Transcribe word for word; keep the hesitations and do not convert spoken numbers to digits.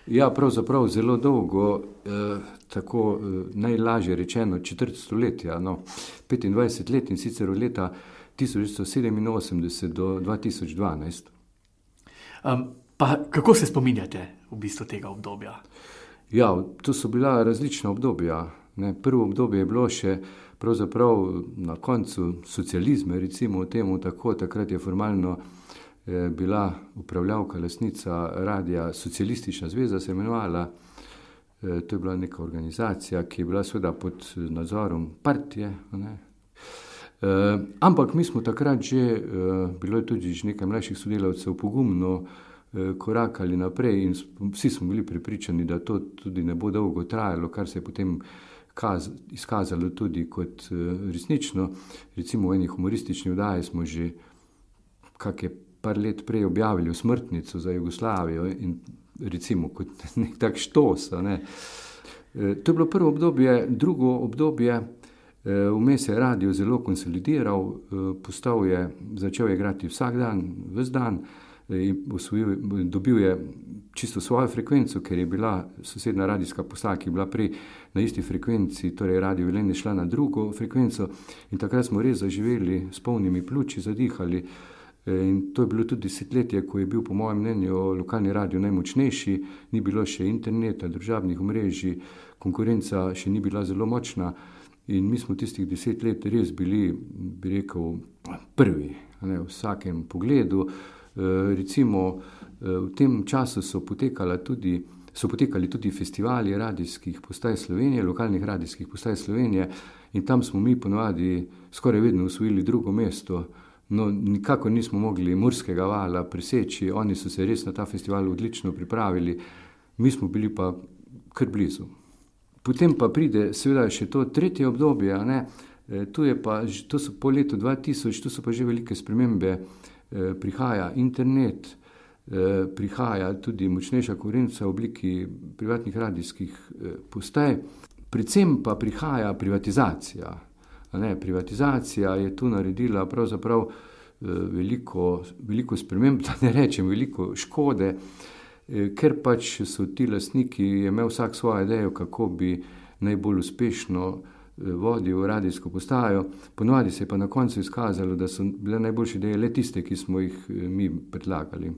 Ja, pravzaprav zelo dolgo, eh, tako eh, najlažje rečeno četrt stoletja, no, petindvajset let in sicer od leta tisoč devetsto sedeminosemdeset do dva tisoč dvanajst. Um, pa kako se spominjate v bistvu tega obdobja? Ja, to so bila različna obdobja. Ne. Prvo obdobje je bilo še pravzaprav na koncu socializma, recimo temu tako, takrat je formalno eh, bila upravljavka, lastnica radia Socialistična zveza, se imenovala. Eh, to je bila neka organizacija, ki je bila seveda pod nadzorom partije. Ne. Eh, ampak mi smo takrat že, eh, bilo je tudi že nekaj mlajših sodelavcev, pogumno eh, korakali naprej in vsi smo bili prepričani, da to tudi ne bo dolgo trajalo, kar se je potem kaz, izkazalo tudi kot eh, resnično. Recimo v eni humoristični oddaji smo že kak je par let prej objavili Osmrtnico za Jugoslavijo in recimo kot nek tak štos. Ne. Eh, to je bilo prvo obdobje, drugo obdobje. Vmes je radio zelo konsolidiral, postal je, začel je igrati vsak dan, ves dan, osvojil, dobil je čisto svojo frekvenco, ker je bila sosednja radijska postaja, ki je bila prej na isti frekvenci, torej Radio Velenje šla na drugo frekvenco in takrat smo res zaživeli, s polnimi pljuči zadihali in to je bilo tudi desetletje, ko je bil po mojem mnenju lokalni radio najmočnejši, ni bilo še interneta, družabnih omrežij, konkurenca še ni bila zelo močna. In mi smo tistih deset let res bili, bi rekel, prvi, ne, v vsakem pogledu. E, recimo, v tem času so potekala tudi, so potekali tudi festivali radijskih postaj Slovenije, lokalnih radijskih postaj Slovenije in tam smo mi ponovadi skoraj vedno osvojili drugo mesto. No, nikako nismo mogli Murskega vala preseči, oni so se res na ta festival odlično pripravili, mi smo bili pa kar blizu. Potem pa pride seveda še to tretje obdobje, ne? E, tu je pa, to so po letu dva tisoč, tu so pa že velike spremembe, e, prihaja internet, e, prihaja tudi močnejša konkurenca v obliki privatnih radijskih e, postaj, predvsem pa prihaja privatizacija. Ne? Privatizacija je tu naredila pravzaprav e, veliko, veliko sprememb, da ne rečem veliko škode, ker pač so ti lastniki, je imel vsak svojo idejo, kako bi najbolj uspešno vodil radijsko postajo. Ponovadi se je pa na koncu izkazalo, da so bile najboljše ideje le tiste, ki smo jih mi predlagali.